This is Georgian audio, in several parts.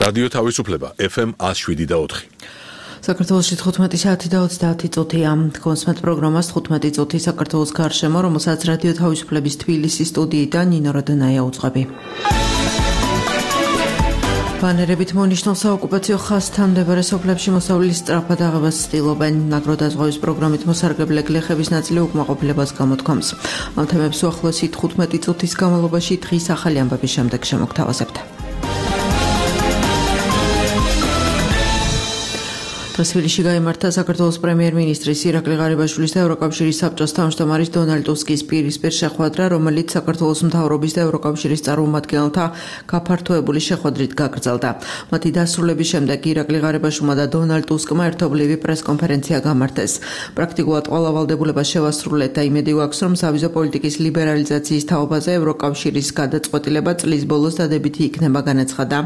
რადიო თავისუფლება FM 107.4. საქართველოში 15 საათი და 30 წუთია. კონსმეთ პროგრამას 15 წუთი საქართველოს გარშემო, რომელსაც რადიო თავისუფლების თბილისის სტუდიიდან ნინო როდონაია უძღვები. ბანერებით მონიშნულ საოკუპაციო ხაზთან მდებარე სოფლებში მოსავლის სწრაფად აღებას ცდილობენ. ნაგროდაზღვევის პროგრამით მოსარგებლე გლეხების ნაწილი უკმაყოფილებას გამოთქვამს. ამ თემებს უახლოესი 15 წუთის განმავლობაში დღის ახალი ამბების შემდეგ შემოგთავაზებთ. დღეს თბილისში გაიმართა საქართველოს პრემიერ-მინისტრის ირაკლი ღარიბაშვილის და ევროკავშირის საბჭოს თავმჯდომარის დონალდ ტუსკის პირისპირ შეხვედრა, რომელიც საქართველოს მთავრობის და ევროკავშირის წარმომადგენელთა გაფართოებული შეხვედრით გაგრძელდა. მათი დასრულების შემდეგ ირაკლი ღარიბაშვილმა და დონალდ ტუსკმა ერთობლივი პრესკონფერენცია გამართეს. პრაქტიკულად ყველა ვალდებულება შევასრულეთ და იმედი გვაქვს, რომ სავიზო პოლიტიკის ლიბერალიზაციის თაობაზე ევროკავშირის გადაწყვეტილება წლის ბოლოს დადებითი იქნება, განაცხადა.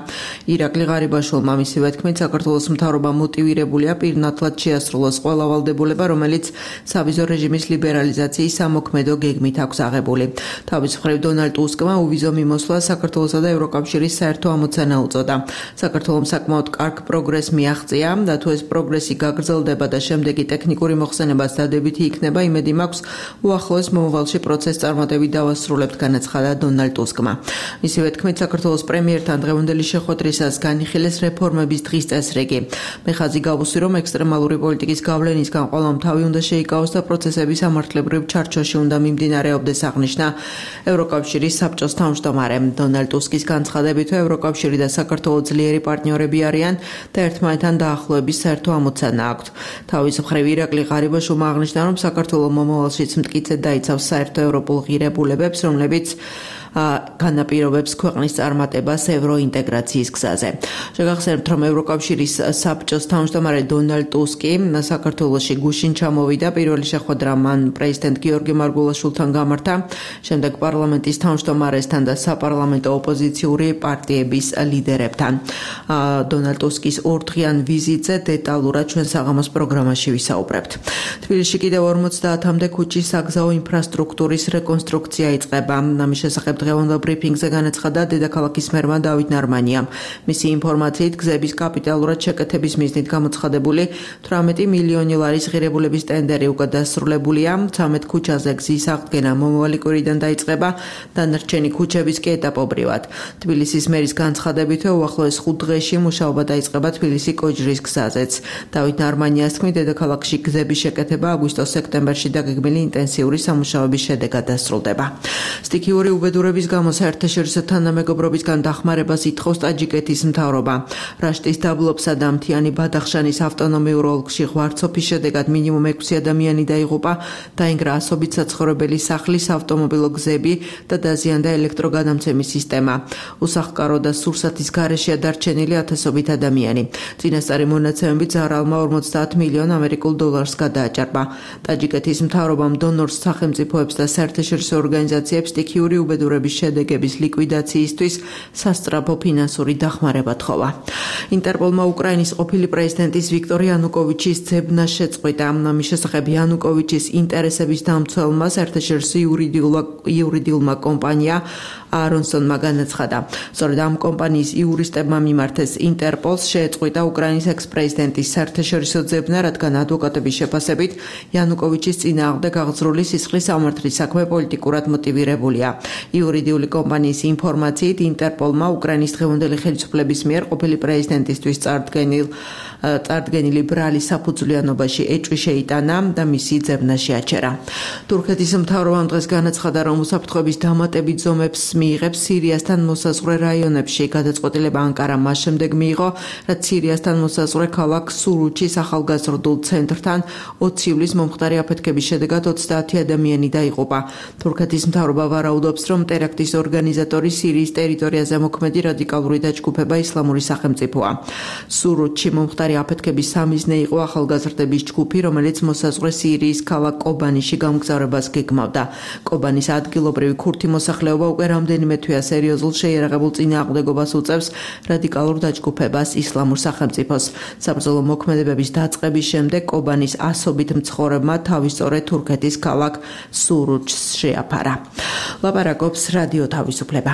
ირაკლი ღარიბაშვილმა მისივე თქმით, საქართველოს მთავრობა მოტივირებული პირნათლად შეასრულოს ყველა ვალდებულება, რომელიც სავიზო რეჟიმის ლიბერალიზაციის სამოქმედო გეგმით აქვს აღებული. თავის მხრივ დონალდ ტუსკმა უვიზო მიმოსვლა საქართველოსა და ევროკავშირის საერთო ამოცანა უწოდა. საქართველომ საკმაოდ კარგ პროგრესს მიაღწია და თუ ეს პროგრესი გაგრძელდება და შემდეგი ტექნიკური მოხსენებაც დადებითი იქნება, იმედი მაქვს უახლოეს მომავალში პროცესს წარმატებით დავასრულებთ, განაცხადა დონალდ ტუსკმა. მისივე თქმით, საქართველოს პრემიერთან დღევანდელი შეხვედრისას განიხილეს რეფორმების დღის წესრიგი. მეხაზი რომ ექსტრემალური პოლიტიკის გავლენისგან ყველამ თავი უნდა შეიკავოს და პროცესები სამართლებრივ ჩარჩოში უნდა მიმდინარეობდეს, აღნიშნა ევროკავშირის საბჭოს თავმჯდომარე. დონალდ ტუსკის განცხადებით, ევროკავშირი და საქართველო ძლიერი პარტნიორები არიან და ერთმანეთთან დაახლოების საერთო ამოცანა აქვთ. თავის მხრივ ირაკლი ღარიბაშვილმა აღნიშნა, რომ საქართველო მომავალშიც მტკიცედ დაიცავს საერთო ევროპულ ღირებულებებს, რომლებიც განაპირობებს ქვეყნის წარმატებას ევროინტეგრაციის გზაზე. შეგახსენებთ, რომ ევროკავშირის საბჭოს თავმჯდომარე დონალდ ტუსკი საქართველოში გუშინ ჩამოვიდა. პირველი შეხვედრა მან პრეზიდენტ გიორგი მარგულაშვილთან გამართა, შემდეგ პარლამენტის თავმჯდომარესთან და საპარლამენტო ოპოზიციური პარტიების ლიდერებთან. დონალდ ტუსკის ორდღიან ვიზიტზე დეტალურად ჩვენ საღამოს პროგრამაში ვისაუბრებთ. თბილისში კიდევ 50-მდე ქუჩის საგზაო ინფრასტრუქტურის რეკონსტრუქცია იწყება. ამის შესახებ დღევანდელ ბრიფინგზე განაცხადა დედაქალაქის მერმა დავით ნარმანიამ. მისი ინფორმაციით, გზების კაპიტალურად შეკეთების მიზნით გამოცხადებული 18 მილიონი ლარის ღირებულების ტენდერი უკვე დასრულებულია. 13 ქუჩაზე გზის აღდგენა მომავალი კვირიდან დაიწყება, დანარჩენი ქუჩების კი ეტაპობრივად. თბილისის მერის განცხადებით, უახლოეს 5 დღეში მუშაობა დაიწყება თბილისი კოჯრის გზაზეც. დავით ნარმანიას თქმით, დედაქალაქში გზების შეკეთება აგვისტო-სექტემბერში დაგეგმილი ინტენსიური სამუშაოების შედეგად დასრულდება. სტიქიური უბედურების გამო საერთაშორისო თანამეგობრობისგან დახმარებას ითხოვს ტაჯიკეთის მთავრობა. რაშტის დაბლობსა და მთიანი ბადახშანის ავტონომიურ ოლქში ღვარცოფის შედეგად მინიმუმ 6 ადამიანი დაიღუპა, დაინგრა ასობით საცხოვრებელი სახლის ავტომობილო გზები და დაზიანდა ელექტროგადამცემის სისტემა. უსახკარო და სურსათის გარეშეა დარჩენილი ათასობით ადამიანი. წინასწარი მონაცემებით ზარალმა 50 მილიონ ამერიკულ დოლარს გადააჭარბა. ტაჯიკეთის მთავრობამ დონორს, სახელმწიფოებს და საერთაშორისო ორგანიზაციებს სტიქიური უბედურების შედეგების ლიკვიდაციისთვის სასწრაფო ფინანსური დახმარება თხოვა. ინტერპოლმა უკრაინის ყოფილი პრეზიდენტის ვიქტორ იანუკოვიჩის ძებნა შეწყვიტა. ამის შესახებ იანუკოვიჩის ინტერესების დამცველმა საერთაშორისო იურიდიულმა კომპანია არონსონმა განაცხადა. სწორედ ამ კომპანიის იურისტებმა მიმართეს ინტერპოლს შეეწყვიტა უკრაინის ექს-პრეზიდენტის საერთაშორისო ძებნა, რადგან ადვოკატების შეფასებით იანუკოვიჩის წინააღმდეგ აღძრული სისხლის სამართლის საქმე პოლიტიკურად მოტივირებულია. იურიდიული კომპანიის ინფორმაციით, ინტერპოლმა უკრაინის დღევანდელი ხელისუფლების მიერ ყოფილი პრეზიდენტისთვის წარდგენილი ბრალი საფუძვლიანობაში ეჭვი შეიტანა და მისი ძებნა შეაჩერა. თურქეთის მთავრობამ დღეს განაცხადა, რომ უსაფრთხოების დამატებით ზომებს მიიღებს სირიასთან მოსაზღვრე რაიონებში. გადაწყვეტილება ანკარა მას შემდეგ მიიღო, რაც სირიასთან მოსაზღვრე ქალაქ სურუჩის ახალგაზრდულ ცენტრთან 20 ივლისს მომხდარი აფეთქების შედეგად 30 ადამიანი დაიღუპა. თურქეთის მთავრობა ვარაუდობს, რომ ტერაქტის ორგანიზატორი სირიის ტერიტორიაზე მოქმედი რადიკალური დაჯგუფება ისლამური სახელმწიფოა. სურუჩში მომხდარი აფეთქების სამიზნე იყო ახალგაზრდების ჯგუფი, რომელიც მოსაზღვრე სირიის ქალაქ კობანიში გამგზავრებას გეგმავდა. კობანის ადგილობრივი ქურთი მოსახლეობა უკვე რამდენიმე თვეა სერიოზულ შეიარაღებულ წინააღმდეგობას უწევს რადიკალურ დაჯგუფებას ისლამურ სახელმწიფოს. საბრძოლო მოქმედებების დაწყების შემდეგ კობანის ასობით მცხოვრებმა თავისწორედ თურქეთის ქალაქ სურუჩს შეაფარა. ლაპარაკობს რადიო თავისუფლება.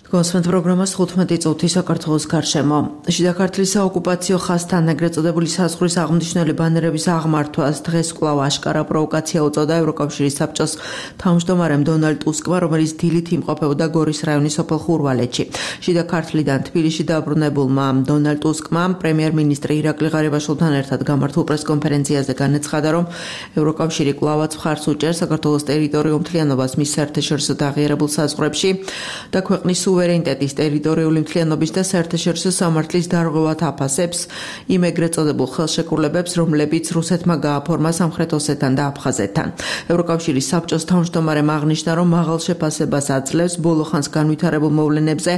კონსვენტ პროგრამას 15 წუთი საქართველოს გარშემო. შიდა ქართლის საოკუპაციო ხაზთან ეგრეთ წოდებული საზღვრის აღმნიშვნელი ბანერების აღმართვას დღეს კვლავ აშკარა პროვოკაცია უწოდა ევროკავშირის საბჭოს თავმჯდომარემ დონალდ ტუსკმა, რომელიც დილით იმყოფებოდა გორის რაიონის სოფელ ხურვალეთში. შიდა ქართლიდან თბილისში დაბრუნებულმა დონალდ ტუსკმა პრემიერ-მინისტრი ირაკლი ღარიბაშვილთან ერთად გამართულ პრესკონფერენციაზე განაცხადა, რომ ევროკავშირი კვლავაც მხარს უჭერს საქართველოს ტერიტორიულ მთლიანობას მის საერთაშორისო აღიარებულ საზღვრებში და ქვეყნის სუვერენიტეტის, ტერიტორიული მთლიანობის და საერთაშორისო სამართლის დარღვევად აფასებს იმ ეგრეთ წოდებულ ხელშეკრულებებს, რომლებიც რუსეთმა გააფორმა სამხრეთ ოსეთთან და აფხაზეთთან. ევროკავშირის საბჭოს თავმჯდომარემ აღნიშნა, რომ მაღალ შეფასებას აძლევს ბოლო ხანს განვითარებულ მოვლენებზე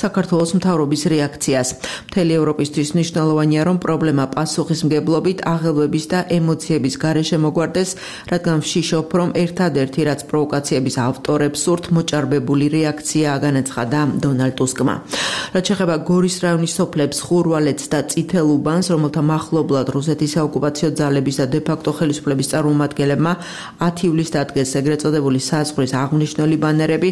საქართველოს მთავრობის რეაქციას. მთელი ევროპისთვის მნიშვნელოვანია, რომ პრობლემა პასუხისმგებლობით, აღელვების და ემოციების გარეშე მოგვარდეს, რადგან ვშიშობ, რომ ერთადერთი, რაც პროვოკაციების ავტორებს სურთ, მოჭარბებული რეაქციაა, განაცხადა დონალდ ტუსკმა. რაც შეეხება გორის რაიონის სოფლებს ხურვალეთს და წითელ უბანს, რომელთა მახლობლად რუსეთის საოკუპაციო ძალების და დე-ფაქტო ხელისუფლების წარმომადგენლებმა 10 ივლისს დადგეს ეგრეთ წოდებული საზღვრის აღნიშნული ბანერები,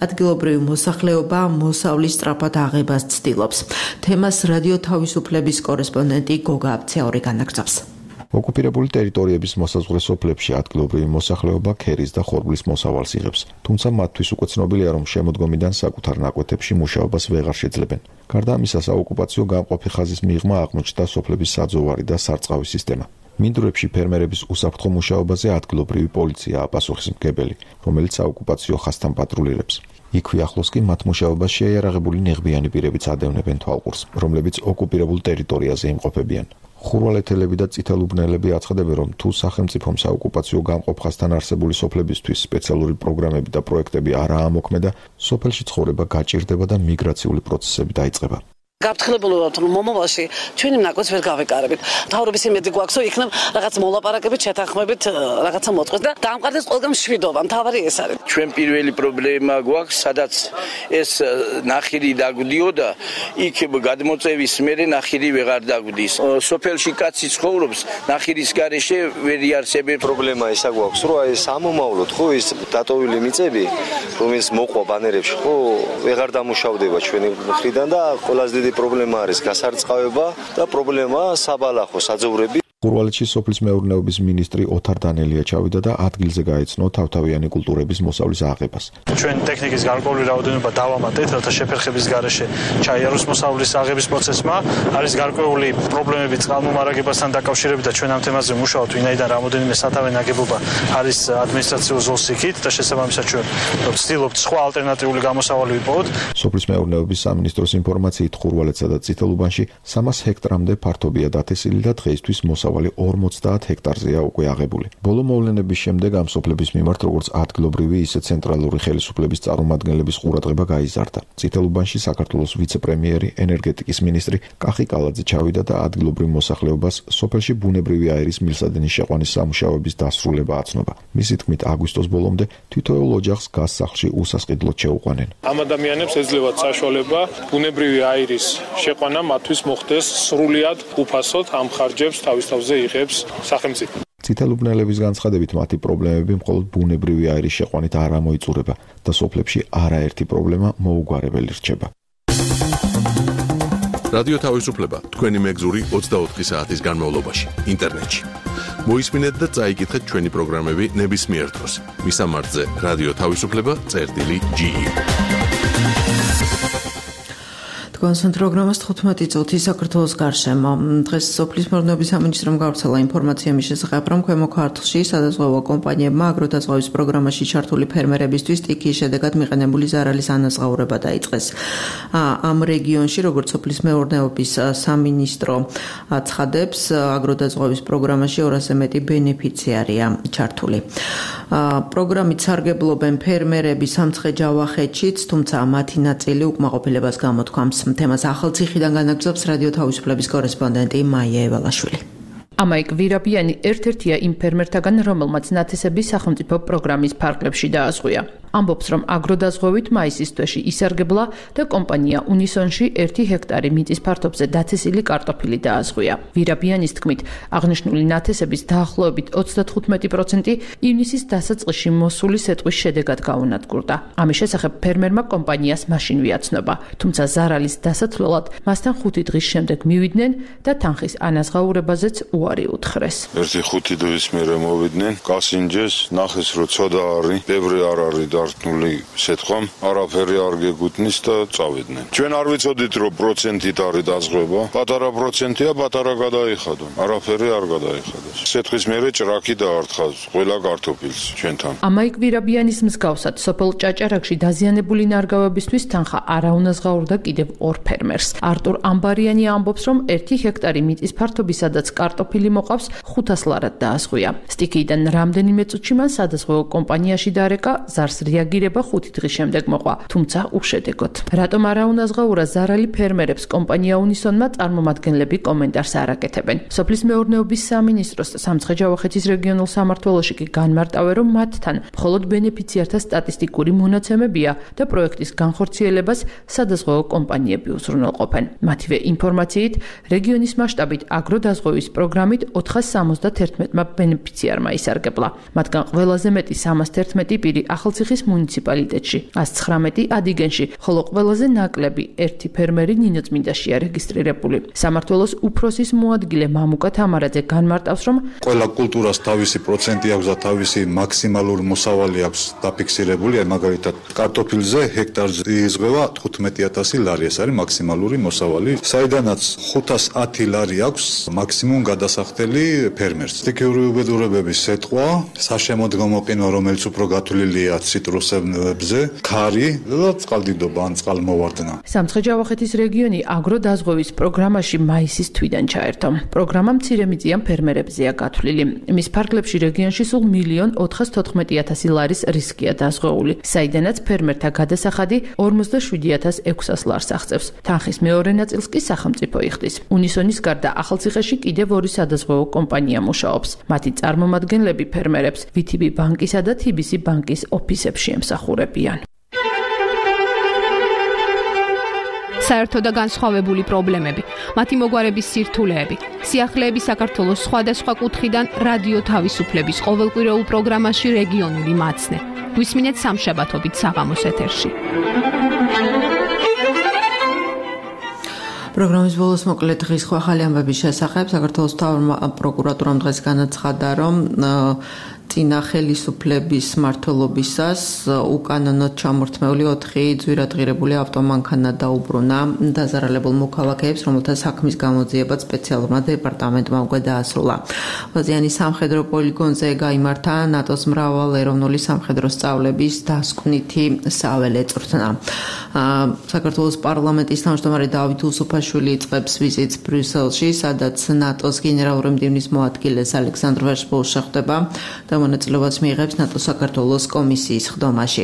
ადგილობრივი მოსახლეობა მოსავლის სწრაფად აღებას ცდილობს. თემას რადიო თავისუფლების კორესპონდენტი გოგა აბცაური განაგრძობს. ოკუპირებული ტერიტორიების მოსაზღვრე სოფლებში ადგილობრივი მოსახლეობა ქერის და ხორბლის მოსავალს იღებს, თუმცა მათთვის უკვე ცნობილია, რომ შემოდგომიდან საკუთარ ნაკვეთებში მუშაობას ვეღარ შეძლებენ. გარდა ამისა, საოკუპაციო გამყოფი ხაზის მიღმა აღმოჩნდა სოფლების საძოვარი და სარწყავი სისტემა. მინდვრებში ფერმერების უსაფრთხო მუშაობაზე ადგილობრივი პოლიციაა პასუხისმგებელი, რომელიც საოკუპაციო ხაზთან პატრულირებს. იქვე ახლოს კი მათ მუშაობას შეიარაღებული ნიღბიანი პირებიც ადევნებენ თვალყურს, რომლებიც ოკუპირებულ ტერიტორიაზე იმყოფებიან. ხურვალეთელები და წითელუბნელები აცხადებენ, რომ თუ სახელმწიფომ საოკუპაციო გამყოფ ხაზთან არსებული სოფლებისთვის სპეციალური პროგრამები და პროექტები არაა ამოქმედა, სოფელში ცხოვრება გაჭირდება და მიგრაციული პროცესები დაიწყება. გაფრთხილებული ვართ, რომ მომავალში ჩვენი ნაკვეთს ვერ გავეკარებით. მთავრობის იმედი გვაქვს, რომ იქნებ რაღაც მოლაპარაკებით, შეთანხმებით რაღაცა მოწყოს და დაამყარდეს ყველგან მშვიდობა. მთავარი ეს არის. ჩვენ პირველი პრობლემა გვაქვს, სადაც ეს ნახირი დაგვდიოდა, იქ გადმოწევის მერე ნახირი ვეღარ დაგვდის. სოფელში კაცი ცხოვრობს, ნახირის გარეშე ვერ იარსებენ. პრობლემა ისა გვაქვს, რომ ეს ამომავლოდ ხო ის დატოვილი მიწები, რომელიც მოყვა ბანერებში, ხო ვეღარ დამუშავდება ჩვენი მხრიდან და ყველაზე დიდი პრობლემა არის გასარწყავება და პრობლემა საბალახო საძოვრები. ხურვალეთში სოფლის მეურნეობის მინისტრი ოთარ დანელია ჩავიდა და ადგილზე გაეცნო თავთავიანი კულტურების მოსავლის აღებას. ჩვენ ტექნიკის გარკვეული რაოდენობა დავამატეთ, რათა შეფერხების გარეშე ჩაიაროს მოსავლის აღების პროცესმა. არის გარკვეული პრობლემები წყალმომარაგებასთან დაკავშირებით და ჩვენ ამ თემაზე მუშაობთ, ვინაიდან რამოდენიმე სათავე ნაგებობა არის ადმინისტრაციულ ზოლს იქით და შესაბამისად ჩვენ ვცდილობთ სხვა ალტერნატიული გამოსავალი ვიპოვოთ. სოფლის მეურნეობის სამინისტროს ინფორმაციით ხურვალეთსა და წითელუბანში 300 ჰექტრამდე ფართობია დათესილი და დღეისთვის 50 ჰექტარზეა უკვე აღებული. ბოლო მოვლენების შემდეგ ამ სოფლების მიმართ როგორც ადგილობრივი, ისე ცენტრალური ხელისუფლების წარმომადგენლების ყურადღება გაიზარდა. წითელუბანში საქართველოს ვიცე-პრემიერი, ენერგეტიკის მინისტრი კახი კალაძე ჩავიდა და ადგილობრივ მოსახლეობას სოფელში ბუნებრივი აირის მილსადენის შეყვანის სამუშაოების დასრულება აცნობა. მისი თქმით, აგვისტოს ბოლომდე თითოეულ ოჯახს გაზ სახლში უსასყიდლოდ შეუყვანენ. ამ ადამიანებს ეძლევათ საშუალება ბუნებრივი აირის შეყვანა მათთვის მოხდეს სრულიად უფასოდ, ამ ხარჯებს თავის თავზე იღებს სახელმწიფო. წითელუბნელების განცხადებით, მათი პრობლემები მხოლოდ ბუნებრივი აირის შეყვანით არ ამოიწურება და სოფლებში არაერთი პრობლემა მოუგვარებელი რჩება. რადიო თავისუფლება თქვენი მეგზური 24 საათის განმავლობაში ინტერნეტში. მოისმინეთ და წაიკითხეთ ჩვენი პროგრამები ნებისმიერ დროს. მისამართზე რადიო თავისუფლება.ge კონსვენტ პროგრამას 15 წუთი საქართველოს გარშემო. დღეს სოფლის მეურნეობის სამინისტრომ გავრცელა ინფორმაცია მის შესახებ, რომ ქვემო ქართლში სადაზღვევო კომპანიებმა აგროდაზღვევის პროგრამაში ჩართული ფერმერებისთვის სტიქიის შედეგად მიყენებული ზარალის ანაზღაურება დაიწყეს. ამ რეგიონში, როგორც სოფლის მეურნეობის სამინისტრო აცხადებს, აგროდაზღვევის პროგრამაში 200-ზე მეტი ბენეფიციარია ჩართული. პროგრამით სარგებლობენ ფერმერები სამცხე-ჯავახეთშიც, თუმცა მათი ნაწილი უკმაყოფილებას გამოთქვამს. თემას ახალციხიდან განაგრძობს რადიო თავისუფლების კორესპონდენტი მაია ევალაშვილი. ამაიკ ვირაბიანი ერთ-ერთია იმ ფერმერთაგან, რომელმაც ნათესების სახელმწიფო პროგრამის ფარგლებში დააზღვია. ამბობს, რომ აგროდაზღვევით მაისის თვეში ისარგებლა და კომპანია უნისონში 1 ჰექტარი მიწის ფართობზე დათესილი კარტოფილი დააზღვია. ვირაბიანის თქმით, აღნიშნული ნათესების დაახლოებით 35% ივნისის დასაწყისში მოსული სეტყვის შედეგად გაუნადგურდა. ამის შესახებ ფერმერმა კომპანიას მაშინ ვიაცნობა, თუმცა ზარალის დასაცვლელად მასთან 5 დღის შემდეგ მივიდნენ და თანხის ანაზღაურებაზეც უარი უთხრეს. 1-5 დღის მერე მოვიდნენ, კასინჯეს, ნახეს რომ ცოდა არის, ბევრი არ არის დარტყმული სეტყვამ, არაფერი არ გეგუთნის და წავიდნენ. ჩვენ არ ვიცოდით რომ პროცენტით არის დაზღვევა, პატარა პროცენტია, პატარა გადაიხადო, არაფერი არ გადაიხადოს. სეტყვის მერე ჭრაკი დაარტყავს ყველა კარტოფილს ჩვენთან. ამაიკ ვირაბიანის მსგავსად სოფელ ჭაჭარაკში დაზიანებული ნარგავებისთვის თანხა არაუნაზღაურდა კიდევ 2 ფერმერს. არტურ ამბარიანი ამბობს, რომ 1 ჰექტარი მიწის ფართობისადაც კარტოფილი მოყავს 500 ლარად დააზღვია. სტიქიიდან რამდენიმე წუთში მან სადაზღვევო კომპანიაში დარეკა, ზარს რეაგირება 5 დღის შემდეგ მოყვა, თუმცა უშედეგოდ. რატომ არაუნაზღაურა ზარალი ფერმერებს კომპანია უნისონმა წარმომადგენლები კომენტარს არ აკეთებენ. სოფლის მეურნეობის სამინისტროს სამცხე-ჯავახეთის რეგიონულ სამმართველოში კი განმარტავენ, რომ მათთან მხოლოდ ბენეფიციართა სტატისტიკური მონაცემებია და პროექტის განხორციელებას სადაზღვევო კომპანიები უზრუნველყოფენ. მათივე ინფორმაციით, რეგიონის მასშტაბით აგროდაზღვევის პროგრამით 471 ბენეფიციარმა ისარგებლა. მათგან ყველაზე მეტი 311 პირი ახალციხის მუნიციპალიტეტში, 119 ადიგენში, ხოლო ყველაზე ნაკლები 1 ფერმერი ნინოწმინდაშია რეგისტრირებული. სამმართველოს უფროსის მოადგილე მამუკა თამარაძე განმარტავს, რომ ყველა კულტურას თავისი პროცენტი აქვს და თავისი მაქსიმალური მოსავალი აქვს დაფიქსირებული, მაგალითად კარტოფილზე ჰექტარზე იზღვევა 15000 ლარი, ეს არის მაქსიმალური მოსავალი, საიდანაც 510 ლარი აქვს მაქსიმუმ გადასახდელი ფერმერს. სტიქიური უბედურებების სეტყვა, საშემოდგომო ყინვა, რომელიც უფრო გათვლილია ციტრუსებზე, ქარი და წყალდიდობა ან წყალმოვარდნა. სამცხე-ჯავახეთის რეგიონი აგროდაზღვევის პროგრამაში მაისის თვიდან ჩაერთო. პროგრამა მცირემიწიან ფერმერებზეა გათვლილი. მის ფარგლებში რეგიონში სულ 1,414,000 ლარის რისკია დაზღვეული, საიდანაც ფერმერთა გადასახადი 47,600 ლარს აღწევს. თანხის მეორე ნაწილს კი სახელმწიფო იხდის. უნისონის გარდა ახალციხეში კიდევ 2 სადაზღვევო კომპანია მუშაობს. მათი წარმომადგენლები ფერმერებს VTB ბანკისა და TBC ბანკის ოფისებში ემსახურებიან. საერთო და განსხვავებული პრობლემები, მათი მოგვარების სირთულეები, სიახლეები საქართველოს სხვადასხვა კუთხიდან რადიო თავისუფლების ყოველკვირეულ პროგრამაში რეგიონული მაცნე. გვისმინეთ სამშაბათობით საღამოს ეთერში. პროგრამის ბოლოს მოკლედ დღის ახალი ამბების შესახებ საქართველოს მთავრ პროკურატურამ დღეს განაცხადა, რომ წინა ხელისუფლების მმართველობისას უკანონოდ ჩამორთმეული 4 ძვირადღირებული ავტომანქანა დაუბრუნა დაზარალებულ მოქალაქეებს, რომელთა საქმის გამოძიება სპეციალურმა დეპარტამენტმა უკვე დაასრულა. ვაზიანის სამხედრო პოლიგონზე გაიმართა ნატოს მრავალეროვნული სამხედრო სწავლების დასკვნითი საველე წვრთნა. საქართველოს პარლამენტის თავმჯდომარე დავით უსუფაშვილი იწყებს ვიზიტს ბრიუსელში, სადაც ნატოს გენერალური მდივნის მოადგილეს ალექსანდრ ვერშბოუს შეხვდება და მონაწილეობას მიიღებს ნატოს საქართველოს კომისიის ხდომაში.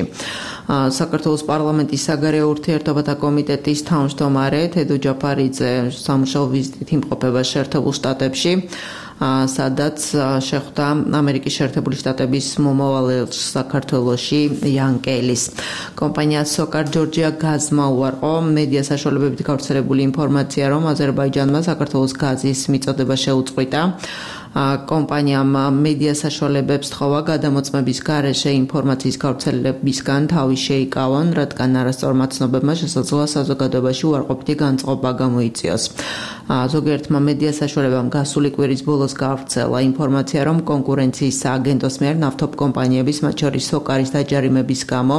საქართველოს პარლამენტის საგარეო ურთიერთობათა კომიტეტის თავმჯდომარე თედო ჯაფარიძე სამუშაო ვიზიტით იმყოფება შეერთებულ შტატებში, სადაც შეხვდა ამერიკის შეერთებული შტატების მომავალ ელჩს საქართველოში იან კელის. კომპანია SOCAR Georgia გაზმა უარყო მედია საშუალებებით გავრცელებული ინფორმაცია, რომ აზერბაიჯანმა საქართველოს გაზის მიწოდება შეუწყვიტა. კომპანიამ მედია საშუალებებს თხოვა გადამოწმების გარეშე ინფორმაციის გავრცელებისგან თავი შეიკავონ, რადგან არასწორმა ცნობებმა შესაძლოა საზოგადოებაში უარყოფითი განწყობა გამოიწვიოს. ზოგიერთმა მედია საშუალებამ გასული კვირის ბოლოს გავრცელა ინფორმაცია, რომ კონკურენციის სააგენტოს მიერ ნავთობ კომპანიების, მათ შორის SOCAR-ის დაჯარიმების გამო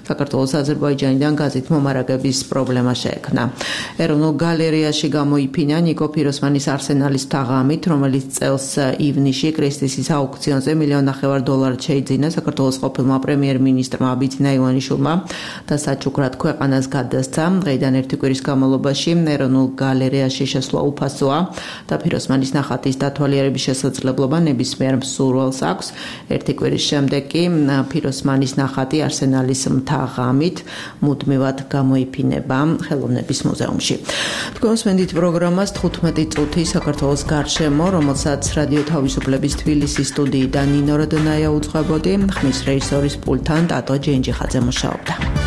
საქართველოს აზერბაიჯანიდან გაზით მომარაგების პრობლემა შეექმნა. ეროვნულ გალერეაში გამოიფინა ნიკო ფიროსმანის არსენალის თაღამით, რომელიც წელს ივნისში კრისტისის აუქციონზე $1,500,000 შეიძინა საქართველოს ყოფილმა პრემიერ-მინისტრმა აბიძინა ივანიშვილმა და საჩუქრად ქვეყანას გადასცა. დღეიდან ერთი კვირის განმავლობაში ეროვნულ გალერეაში შესვლა უფასოა და ფიროსმანის ნახატის დათვალიერების შესაძლებლობა ნებისმიერ მსურველს აქვს. ერთი კვირის შემდეგ კი ფიროსმანის ნახატი არსენალის მთა-ღამით მუდმივად გამოიფინება ხელოვნების მუზეუმში. თქვენ მსმენთ პროგრამას 15 წუთი საქართველოს გარშემო, რომელსაც რადიო თავისუფლების თბილისის სტუდიიდან ნინო როდონაია უძღვებოდი, ხმის რეჟისორის პულტთან ტატო ჯენჯიხაძე მუშაობდა.